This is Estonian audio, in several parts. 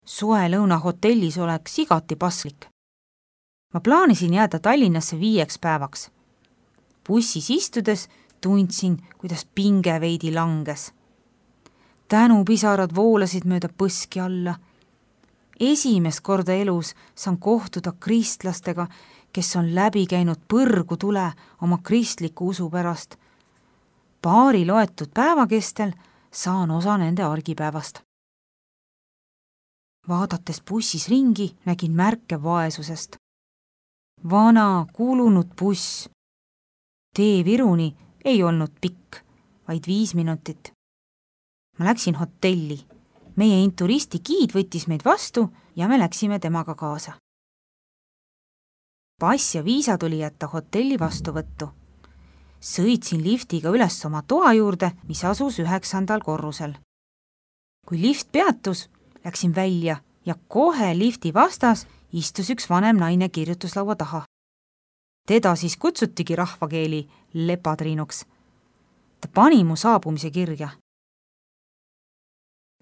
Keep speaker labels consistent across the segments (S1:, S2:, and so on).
S1: Suelõuna hotellis oleks igati paslik. Ma plaanisin jääda Tallinnasse 5 päevaks. Bussis istudes tundsin, kuidas pinge veidi langes. Tänupisarad voolasid mööda põski alla. Esimest korda elus saan kohtuda kristlastega, kes on läbi käinud põrgu tule oma kristliku usu pärast. Paari loetud päeva kestel saan osa nende argipäevast. Vaadates bussis ringi, nägin märke vaesusest. Vana, kulunud buss. Tee Viruni ei olnud pikk, vaid 5 minutit. Ma läksin hotelli. Meie inturisti giid võttis meid vastu ja me läksime temaga kaasa. Pass ja viisa tuli jätta hotelli vastuvõttu. Sõitsin liftiga üles oma toa juurde, mis asus 9. korrusel. Kui lift peatus, läksin välja ja kohe lifti vastas istus üks vanem naine kirjutuslaua taha. Teda siis kutsutigi rahvakeeli Lepatriinuks. Ta pani mu saabumise kirja.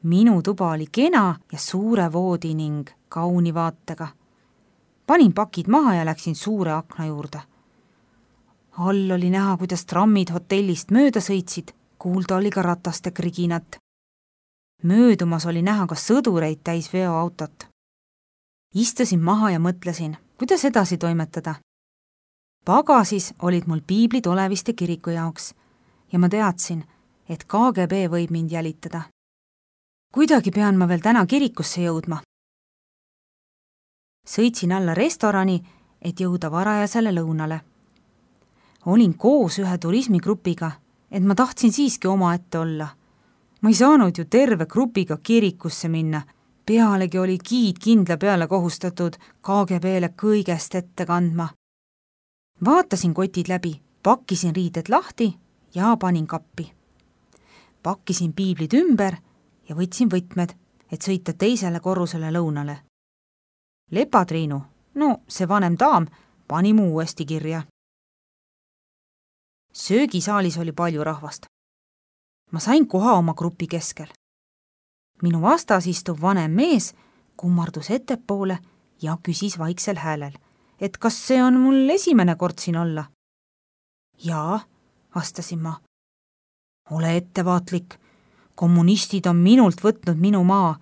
S1: Minu tuba oli kena ja suure voodi ning kauni vaatega. Panin pakid maha ja läksin suure akna juurde. All oli näha, kuidas trammid hotellist mööda sõitsid, kuulda oli ka rataste kriginat. Möödumas oli näha ka sõdureid täis veoautot. Istusin maha ja mõtlesin, kuidas edasi toimetada. Pagasis olid mul piiblid Oleviste kiriku jaoks ja ma teadsin, et KGB võib mind jälitada. Kuidagi pean ma veel täna kirikusse jõudma. Sõitsin alla restorani, et jõuda varajasele lõunale. Olin koos ühe turismigrupiga, et ma tahtsin siiski omaette olla. Ma ei saanud ju terve grupiga kirikusse minna. Pealegi oli giid kindla peale kohustatud KGB-le kõigest ette kandma. Vaatasin kotid läbi, pakkisin riided lahti ja panin kappi. Pakkisin piiblid ümber ja võtsin võtmed, et sõita teisele korrusele lõunale. Lepatriinu, no see vanem daam, pani mu uuesti kirja. Söögisaalis oli palju rahvast. Ma sain koha oma grupi keskel. Minu vastas istuv vanem mees kummardus ettepoole ja küsis vaiksel häälel, et kas see on mul esimene kord siin olla. Jaa, vastasin ma. Ole ettevaatlik. Kommunistid on minult võtnud minu maa.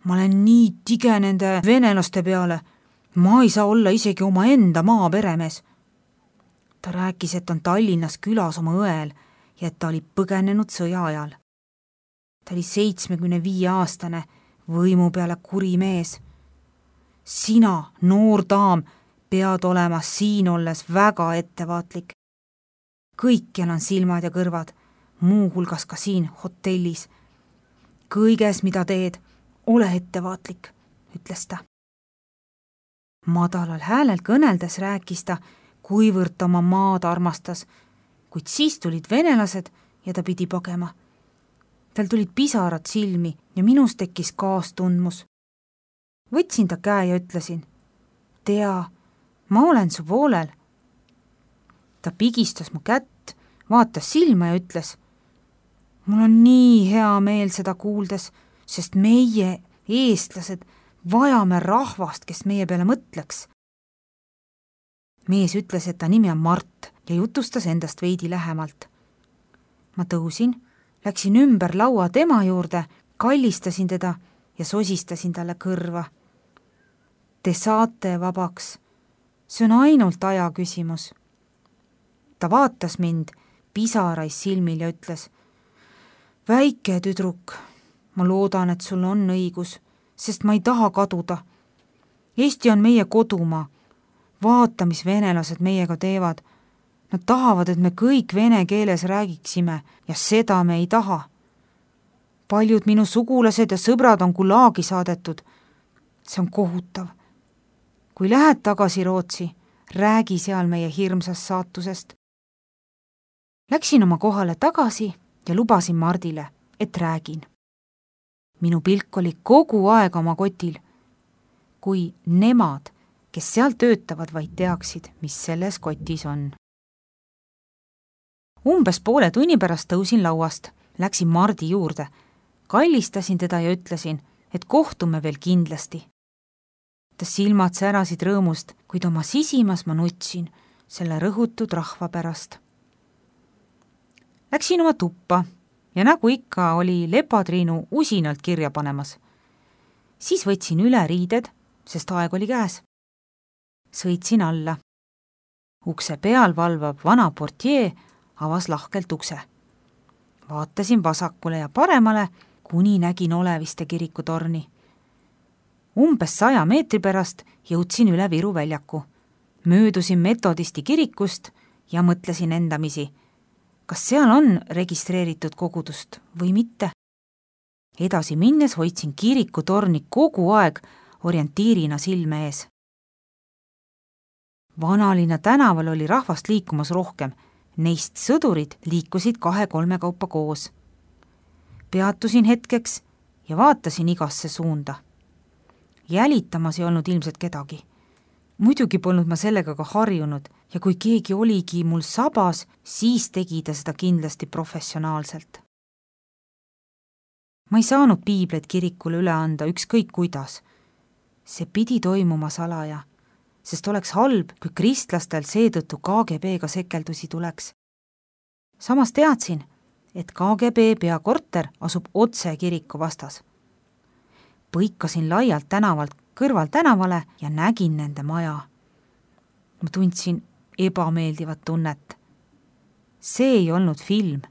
S1: Ma olen nii tige nende venelaste peale. Ma ei saa olla isegi oma enda maa peremees. Ta rääkis, et on Tallinnas külas oma õel ja et ta oli põgenenud sõja ajal. Ta oli 75-aastane, võimu peale kuri mees. Sina, noor daam, pead olema siin olles väga ettevaatlik. Kõikjal on silmad ja kõrvad, muu hulgas ka siin hotellis. Kõiges, mida teed, ole ettevaatlik, ütles ta. Madalal häälel kõneldes rääkis ta, kuivõrd oma maad armastas, kuid siis tulid venelased ja ta pidi pagema. Tal tulid pisarad silmi ja minus tekkis kaastundmus. Võtsin ta käe ja ütlesin, tea, ma olen su poolel. Ta pigistas mu kätt, vaatas silma ja ütles, mul on nii hea meel seda kuuldes, sest meie, eestlased, vajame rahvast, kes meie peale mõtleks. Mees ütles, et ta nimi on Mart ja jutustas endast veidi lähemalt. Ma tõusin, läksin ümber laua tema juurde, kallistasin teda ja sosistasin talle kõrva. Te saate vabaks. See on ainult aja küsimus. Ta vaatas mind pisarais silmil ja ütles, väike tüdruk, ma loodan, et sul on õigus, sest ma ei taha kaduda. Eesti on meie kodumaa. Vaata, mis venelased meiega teevad. Nad tahavad, et me kõik vene keeles räägiksime ja seda me ei taha. Paljud minu sugulased ja sõbrad on Gulagi saadetud. See on kohutav. Kui lähed tagasi Rootsi, räägi seal meie hirmsast saatusest. Läksin oma kohale tagasi ja lubasin Mardile, et räägin. Minu pilk oli kogu aeg oma kotil. Kui nemad, kes seal töötavad, vaid teaksid, mis selles kotis on. Umbes poole tunni pärast tõusin lauast, läksin Mardi juurde, kallistasin teda ja ütlesin, et kohtume veel kindlasti. Ta silmad särasid rõõmust, kuid oma sisimas ma nutsin selle rõhutud rahva pärast. Läksin oma tuppa ja nagu ikka oli Lepatriinu usinalt kirja panemas. Siis võtsin üle riided, sest aeg oli käes. Sõitsin alla. Ukse peal valvav vana portier avas lahkelt ukse. Vaatasin vasakule ja paremale, kuni nägin Oleviste kirikutorni. Umbes 100 meetri pärast jõudsin üle Viru väljaku. Möödusin metodisti kirikust ja mõtlesin endamisi, kas seal on registreeritud kogudust või mitte. Edasi minnes hoidsin kirikutorni kogu aeg orientiirina silme ees. Vanalinna tänaval oli rahvast liikumas rohkem, neist sõdurid liikusid 2-3 kaupa koos. Peatusin hetkeks ja vaatasin igasse suunda. Jälitamas ei olnud ilmselt kedagi. Muidugi polnud ma sellega ka harjunud ja kui keegi oligi mul sabas, siis tegi ta seda kindlasti professionaalselt. Ma ei saanud piibleid kirikule üle anda ükskõik kuidas. See pidi toimuma salaja, sest oleks halb, kui kristlastel seetõttu KGB-ga sekeldusi tuleks. Samas teadsin, et KGB peakorter asub otse kiriku vastas. Põikasin laialt tänavalt kõrval tänavale ja nägin nende maja. Ma tundsin ebameeldivat tunnet. See ei olnud film.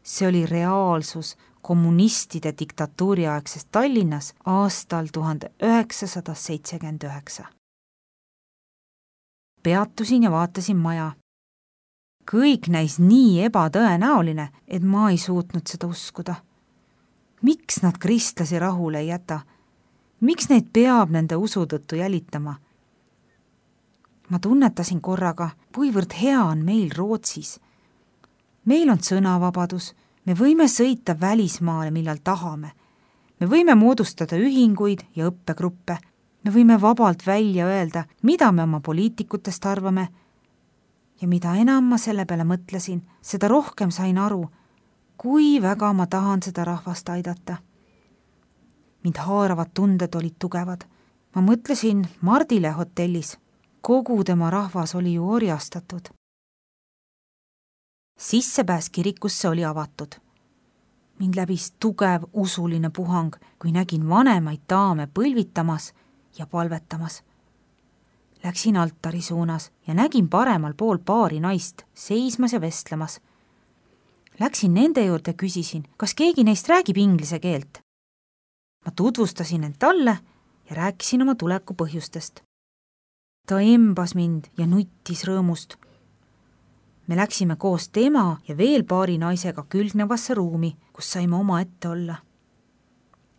S1: See oli reaalsus kommunistide diktatuuriaegsest Tallinnas aastal 1979. Peatusin ja vaatasin maja. Kõik näis nii ebatõenäoline, et ma ei suutnud seda uskuda. Miks nad kristlasi rahule ei jäta? Miks neid peab nende usu tõttu jälitama? Ma tunnetasin korraga, kuivõrd hea on meil Rootsis. Meil on sõnavabadus, me võime sõita välismaale, millal tahame. Me võime moodustada ühinguid ja õppegruppe. Me võime vabalt välja öelda, mida me oma poliitikutest arvame. Ja mida enam ma selle peale mõtlesin, seda rohkem sain aru, kui väga ma tahan seda rahvast aidata. Mind haaravad tunded olid tugevad. Ma mõtlesin Mardile hotellis. Kogu tema rahvas oli ju orjastatud. Sissepääs kirikusse oli avatud. Mind läbis tugev usuline puhang, kui nägin vanemaid daame põlvitamas ja palvetamas. Läksin altari suunas ja nägin paremal pool paari naist seismas ja vestlemas. Läksin nende juurde ja küsisin, kas keegi neist räägib inglise keelt. Ma tutvustasin end talle ja rääkisin oma tuleku põhjustest. Ta embas mind ja nuttis rõõmust. Me läksime koos tema ja veel paari naisega külgnevasse ruumi, kus saime oma ette olla.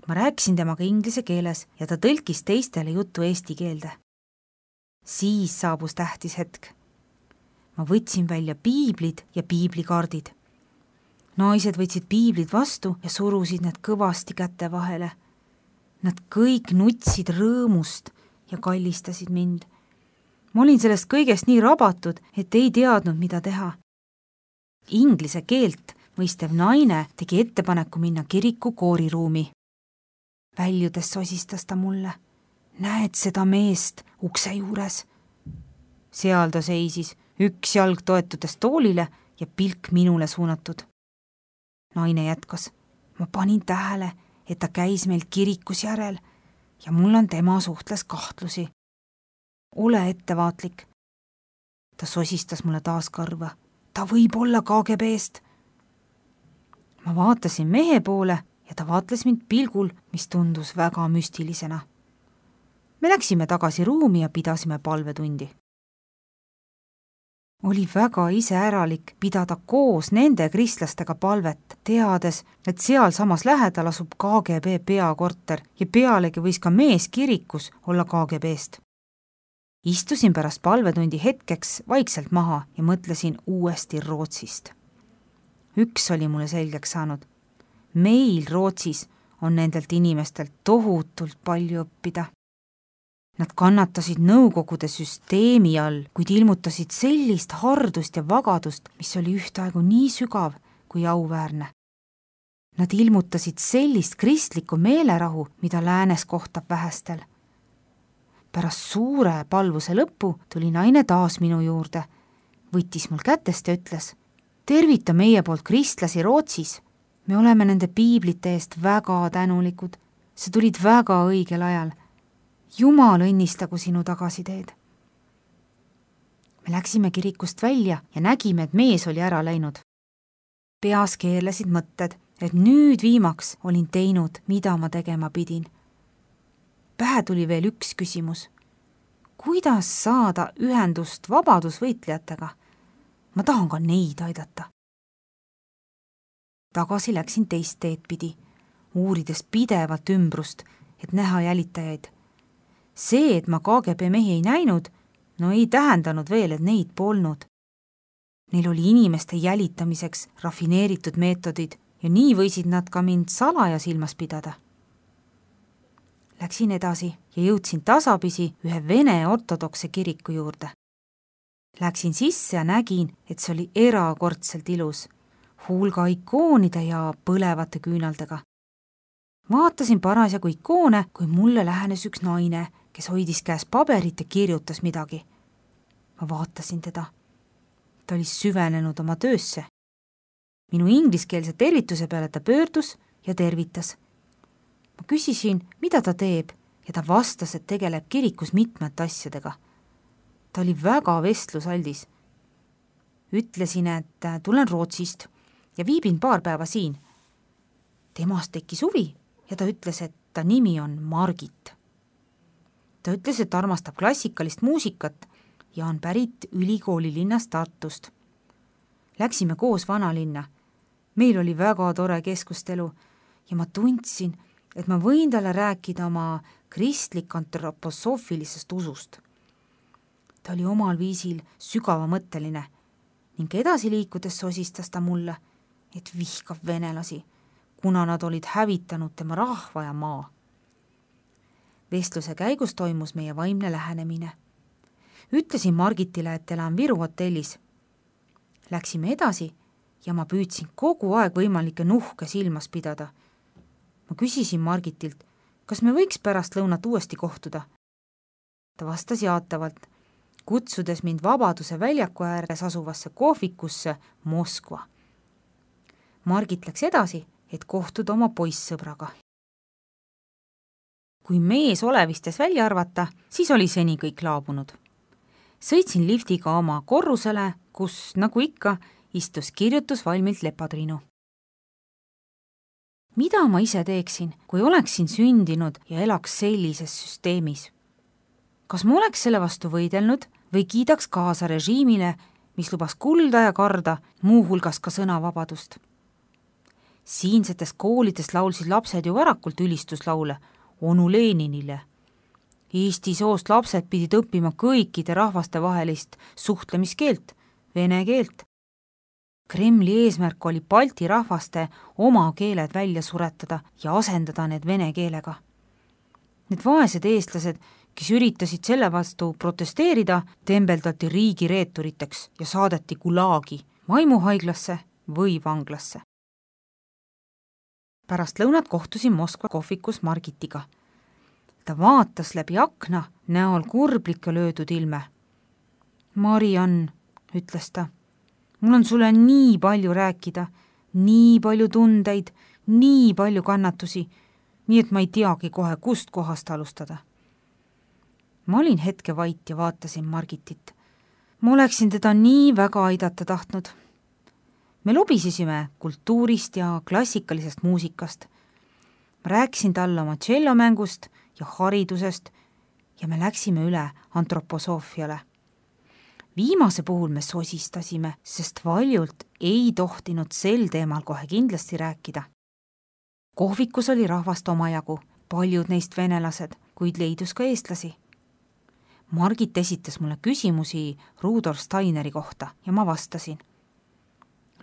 S1: Ma rääkisin temaga inglise keeles ja ta tõlkis teistele juttu eesti keelde. Siis saabus tähtis hetk. Ma võtsin välja piiblid ja piiblikaardid. Naised võtsid piiblid vastu ja surusid need kõvasti käte vahele. Nad kõik nutsid rõõmust ja kallistasid mind. Ma olin sellest kõigest nii rabatud, et ei teadnud, mida teha. Inglise keelt mõistev naine tegi ettepaneku minna kiriku kooriruumi. Väljudes sosistas ta mulle. Näed seda meest ukse juures? Seal ta seisis, üks jalg toetudes toolile ja pilk minule suunatud. Naine jätkas. Ma panin tähele, et ta käis meil kirikus järel ja mul on tema suhtles kahtlusi. Ole ettevaatlik. Ta sosistas mulle taas kõrva. Ta võib olla KGB-st. Ma vaatasin mehe poole ja ta vaatles mind pilgul, mis tundus väga müstilisena. Me läksime tagasi ruumi ja pidasime palvetundi. Oli väga iseäralik pidada koos nende kristlastega palvet, teades, et seal samas lähedal asub KGB peakorter ja pealegi võis ka mees kirikus olla KGB-st. Istusin pärast palvetundi hetkeks vaikselt maha ja mõtlesin uuesti Rootsist. Üks oli mulle selgeks saanud. Meil Rootsis on nendelt inimestelt tohutult palju õppida. Nad kannatasid nõukogude süsteemi all, kuid ilmutasid sellist hardust ja vagadust, mis oli ühtaegu nii sügav kui auväärne. Nad ilmutasid sellist kristlikku meelerahu, mida läänes kohtab vähestel. Pärast suure palvuse lõppu tuli naine taas minu juurde, võttis mul kätest ja ütles: tervita meie poolt kristlasi Rootsis. Me oleme nende piiblite eest väga tänulikud. See tulid väga õigel ajal. Jumal õnnistagu sinu tagasiteed. Me läksime kirikust välja ja nägime, et mees oli ära läinud. Peas keerlesid mõtted, et nüüd viimaks olin teinud, mida ma tegema pidin. Pähe tuli veel üks küsimus. Kuidas saada ühendust vabadusvõitlejatega? Ma tahan ka neid aidata. Tagasi läksin teist teed pidi, uurides pidevalt ümbrust, et näha jälitajaid. See, et ma KGB mehi ei näinud, no ei tähendanud veel, et neid polnud. Neil oli inimeste jälitamiseks rafineeritud meetodid ja nii võisid nad ka mind salaja silmas pidada. Läksin edasi ja jõudsin tasapisi ühe vene ortodokse kiriku juurde. Läksin sisse ja nägin, et see oli erakordselt ilus, hulga ikoonide ja põlevate küünaldega. Vaatasin parasjagu ikoone, kui mulle lähenes üks naine, kes hoidis käes paberit ja kirjutas midagi. Ma vaatasin teda. Ta oli süvenenud oma töösse. Minu ingliskeelse tervituse peale ta pöördus ja tervitas. Ma küsisin, mida ta teeb, ja ta vastas, et tegeleb kirikus mitmete asjadega. Ta oli väga vestlusaldis. Ütlesin, et tulen Rootsist ja viibin paar päeva siin. Temast tekkis huvi ja ta ütles, et ta nimi on Margit. Ta ütles, et armastab klassikalist muusikat ja on pärit ülikooli linnast Tartust. Läksime koos vanalinna. Meil oli väga tore keskustelu ja ma tundsin, et ma võin talle rääkida oma kristlik antroposoofilisest usust. Ta oli omal viisil sügavamõtteline ning edasi liikudes sosistas ta mulle, et vihkab venelasi, kuna nad olid hävitanud tema rahva ja maa. Vestluse käigus toimus meie vaimne lähenemine. Ütlesin Margitile, et elan Viru hotellis. Läksime edasi ja ma püüdsin kogu aeg võimalikke nuhke silmas pidada. Ma küsisin Margitilt, kas me võiks pärast lõunat uuesti kohtuda. Ta vastas jaatavalt, kutsudes mind Vabaduse väljaku ääres asuvasse kohvikusse Moskva. Margit läks edasi, et kohtuda oma poissõbraga. Kui mees olevistes välja arvata, siis oli seni kõik laabunud. Sõitsin liftiga oma korrusele, kus, nagu ikka, istus kirjutusvalmilt Lepatriinu. Mida ma ise teeksin, kui oleksin sündinud ja elaks sellises süsteemis? Kas ma oleks selle vastu võidelnud või kiidaks kaasa režiimile, mis lubas kulda ja karda, muuhulgas ka sõnavabadust? Siinsetes koolides laulsid lapsed ju varakult ülistuslaule onu Leninile. Eesti soost lapsed pidid õppima kõikide rahvaste vahelist suhtlemiskeelt, vene keelt. Kremli eesmärk oli Balti rahvaste oma keeled välja suretada ja asendada need vene keelega. Need vaesed eestlased, kes üritasid selle vastu protesteerida, tembeldati riigireeturiteks ja saadeti Gulagi, vaimuhaiglasse või vanglasse. Pärast lõunat kohtusin Moskva kohvikus Margitiga. Ta vaatas läbi akna, näol kurblikka löödud ilme. Mariann, ütles ta, mul on sulle nii palju rääkida, nii palju tundeid, nii palju kannatusi, nii et ma ei teagi kohe, kust kohast alustada. Ma olin hetke vait ja vaatasin Margitit. Ma oleksin teda nii väga aidata tahtnud. Me lobisesime kultuurist ja klassikalisest muusikast. Ma rääkisin talle oma tšellomängust ja haridusest ja me läksime üle antroposoofiale. Viimase puhul me sosistasime, sest valjult ei tohtinud sel teemal kohe kindlasti rääkida. Kohvikus oli rahvast omajagu, paljud neist venelased, kuid leidus ka eestlasi. Margit esitas mulle küsimusi Rudolf Steineri kohta ja ma vastasin.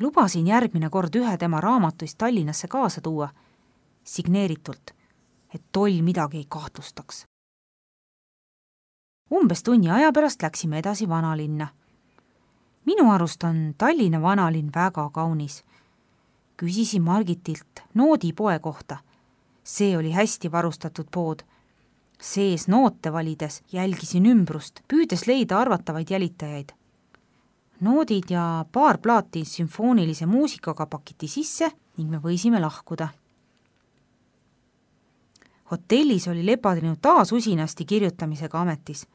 S1: Lubasin järgmine kord ühe tema raamatuist Tallinnasse kaasa tuua, signeeritult, et toll midagi ei kahtlustaks. Umbes tunni aja pärast läksime edasi vanalinna. Minu arust on Tallinna vanalinn väga kaunis. küsisin Margitilt noodipoe kohta. See oli hästi varustatud pood. Sees noote valides jälgisin ümbrust, püüdes leida arvatavaid jälitajaid. Noodid ja paar plaati sümfoonilise muusikaga pakiti sisse ning me võisime lahkuda. Hotellis oli Lepadrinu taas usinasti kirjutamisega ametis.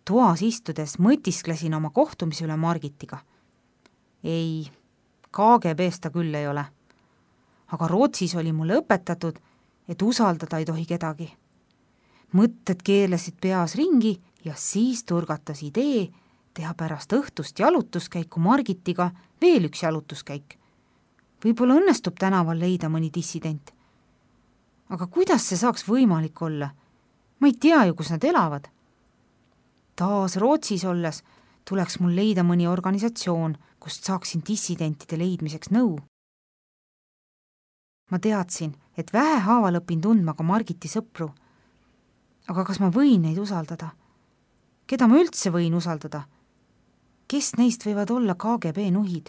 S1: Toas istudes mõtisklesin oma kohtumise üle Margitiga. Ei, KGB-st ta küll ei ole. Aga Rootsis oli mulle õpetatud, et usaldada ei tohi kedagi. Mõtted keerlesid peas ringi ja siis turgatas idee teha pärast õhtust jalutuskäiku Margitiga veel üks jalutuskäik. Võib-olla õnnestub tänaval leida mõni dissident. Aga kuidas see saaks võimalik olla? Ma ei tea ju, kus nad elavad. Taas Rootsis olles tuleks mul leida mõni organisatsioon, kust saaksin dissidentide leidmiseks nõu. Ma teadsin, et vähehaaval õpin tundma ka Margiti sõpru. Aga kas ma võin neid usaldada? Keda ma üldse võin usaldada? Kes neist võivad olla KGB nuhid?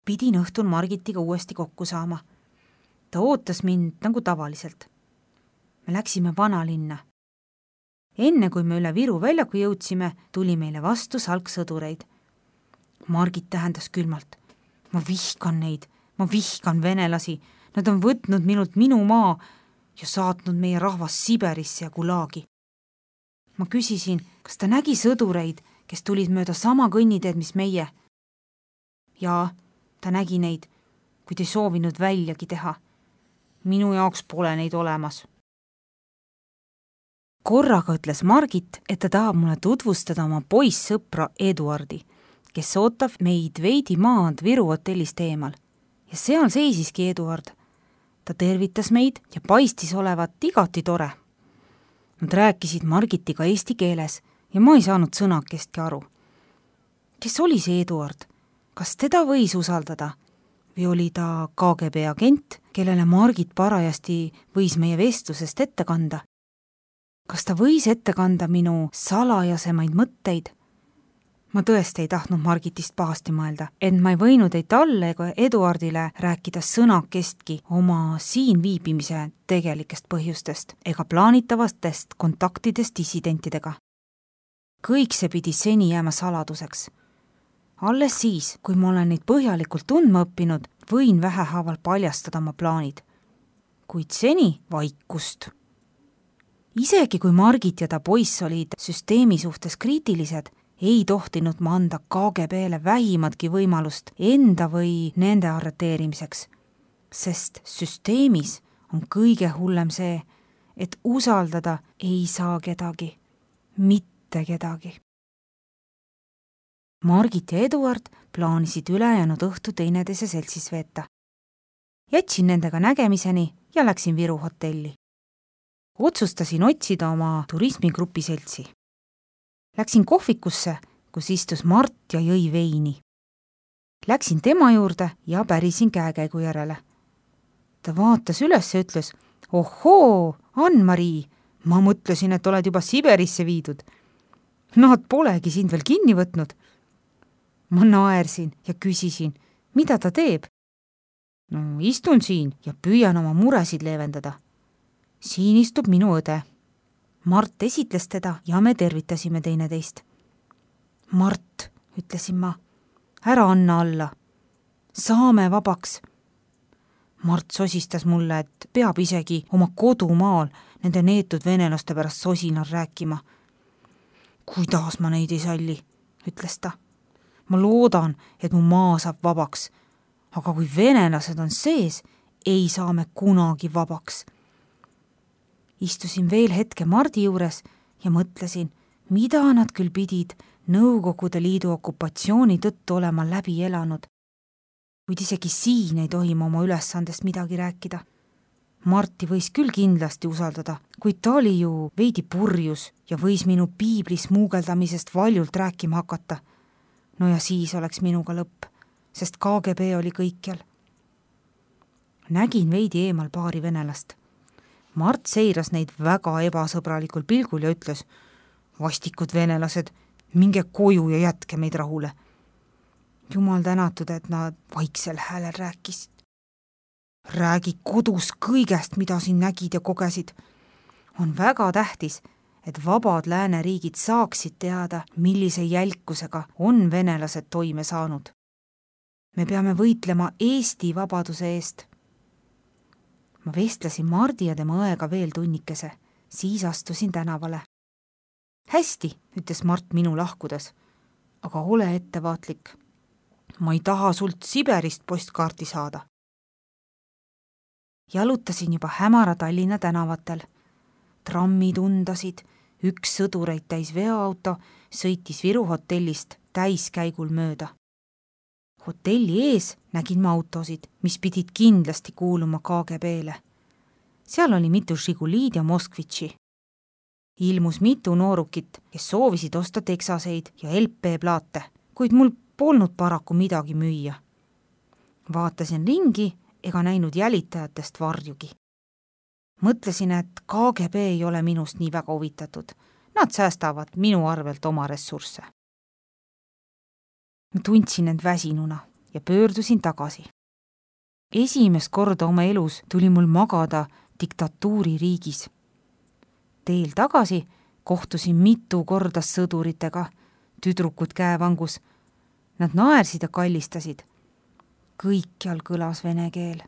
S1: Pidin õhtul Margitiga uuesti kokku saama. Ta ootas mind nagu tavaliselt. Me läksime vanalinna. Enne kui me üle Viru väljaku jõudsime, tuli meile vastu salksõdureid. Margit tähendas külmalt. Ma vihkan neid, ma vihkan venelasi. Nad on võtnud minult minu maa ja saatnud meie rahvas Siberisse ja Gulagi. Ma küsisin, kas ta nägi sõdureid, kes tulid mööda sama kõnniteed, mis meie. Jaa, ta nägi neid, kuid ei soovinud väljagi teha. Minu jaoks pole neid olemas. Korraga ütles Margit, et ta tahab mulle tutvustada oma poissõpra Eduardi, kes ootab meid veidi maad Viru hotellist eemal. Ja seal seisiski Eduard. Ta tervitas meid ja paistis olevat igati tore. Nad rääkisid Margitiga eesti keeles ja ma ei saanud sõnakestki aru. Kes oli see Eduard? Kas teda võis usaldada? Või oli ta KGB agent, kellele Margit parajasti võis meie vestlusest ette kanda? Kas ta võis ette kanda minu salajasemaid mõtteid? Ma tõesti ei tahtnud Margitist pahasti mõelda, et ma ei võinud ei talle ega Eduardile rääkida sõnakestki oma siin viibimise tegelikest põhjustest ega plaanitavastest kontaktidest dissidentidega. Kõik see pidi seni jääma saladuseks. Alles siis, kui ma olen neid põhjalikult tundma õppinud, võin vähehaaval paljastada oma plaanid. Kuid seni vaikust. Isegi kui Margit ja ta poiss olid süsteemi suhtes kriitilised, ei tohtinud ma anda KGB-le vähimatki võimalust enda või nende arreteerimiseks, sest süsteemis on kõige hullem see, et usaldada ei saa kedagi, mitte kedagi. Margit ja Eduard plaanisid ülejäänud õhtu teineteise seltsis veeta. Jätsin nendega nägemiseni ja läksin Viru hotelli. Otsustasin otsida oma turismigrupi seltsi. Läksin kohvikusse, kus istus Mart ja jõi veini. Läksin tema juurde ja pärisin käekäigu järele. Ta vaatas üles ja ütles, ohoo, Ann-Marii, ma mõtlesin, et oled juba Siberisse viidud. Nad polegi sind veel kinni võtnud. Ma naersin ja küsisin, mida ta teeb. No, istun siin ja püüan oma muresid leevendada. Siin istub minu õde. Mart esitles teda ja me tervitasime teineteist. Mart, ütlesin ma, ära anna alla. Saame vabaks. Mart sosistas mulle, et peab isegi oma kodumaal nende neetud venelaste pärast sosinal rääkima. Kuidas ma neid ei salli, ütles ta. Ma loodan, et mu maa saab vabaks, aga kui venelased on sees, ei saa me kunagi vabaks. Istusin veel hetke Mardi juures ja mõtlesin, mida nad küll pidid Nõukogude Liidu okupatsiooni tõttu olema läbi elanud. Kuid isegi siin ei tohi ma oma ülesandest midagi rääkida. Marti võis küll kindlasti usaldada, kuid ta oli ju veidi purjus ja võis minu piiblis muugeldamisest valjult rääkima hakata. No ja siis oleks minuga lõpp, sest KGB oli kõikjal. Nägin veidi eemal paari venelast. Mart seiras neid väga ebasõbralikul pilgul ja ütles, vastikud venelased, minge koju ja jätke meid rahule. Jumal tänatud, et nad vaiksel häälel rääkisid. Räägi kodus kõigest, mida siin nägid ja kogesid. On väga tähtis, et vabad lääneriigid saaksid teada, millise jälkusega on venelased toime saanud. Me peame võitlema Eesti vabaduse eest. Ma vestlesin Mardi ja tema õega veel tunnikese, siis astusin tänavale. Hästi, ütles Mart minu lahkudes, aga ole ettevaatlik. Ma ei taha sult Siberist postkaarti saada. Jalutasin juba hämara Tallinna tänavatel. Trammid undasid, üks sõdureid täis veoauto sõitis Viru hotellist täiskäigul mööda. Hotelli ees nägin ma autosid, mis pidid kindlasti kuuluma KGB-le. Seal oli mitu Žiguliid ja Moskvitši. Ilmus mitu noorukit, kes soovisid osta teksaseid ja LP-plaate, kuid mul polnud paraku midagi müüa. Vaatasin ringi ega näinud jälitajatest varjugi. Mõtlesin, et KGB ei ole minust nii väga huvitatud. Nad säästavad minu arvelt oma ressursse. Ma tundsin end väsinuna ja pöördusin tagasi. Esimest korda oma elus tuli mul magada diktatuuririigis. Teel tagasi kohtusin mitu korda sõduritega, tüdrukud käevangus. Nad naersid ja kallistasid. Kõikjal kõlas vene keel.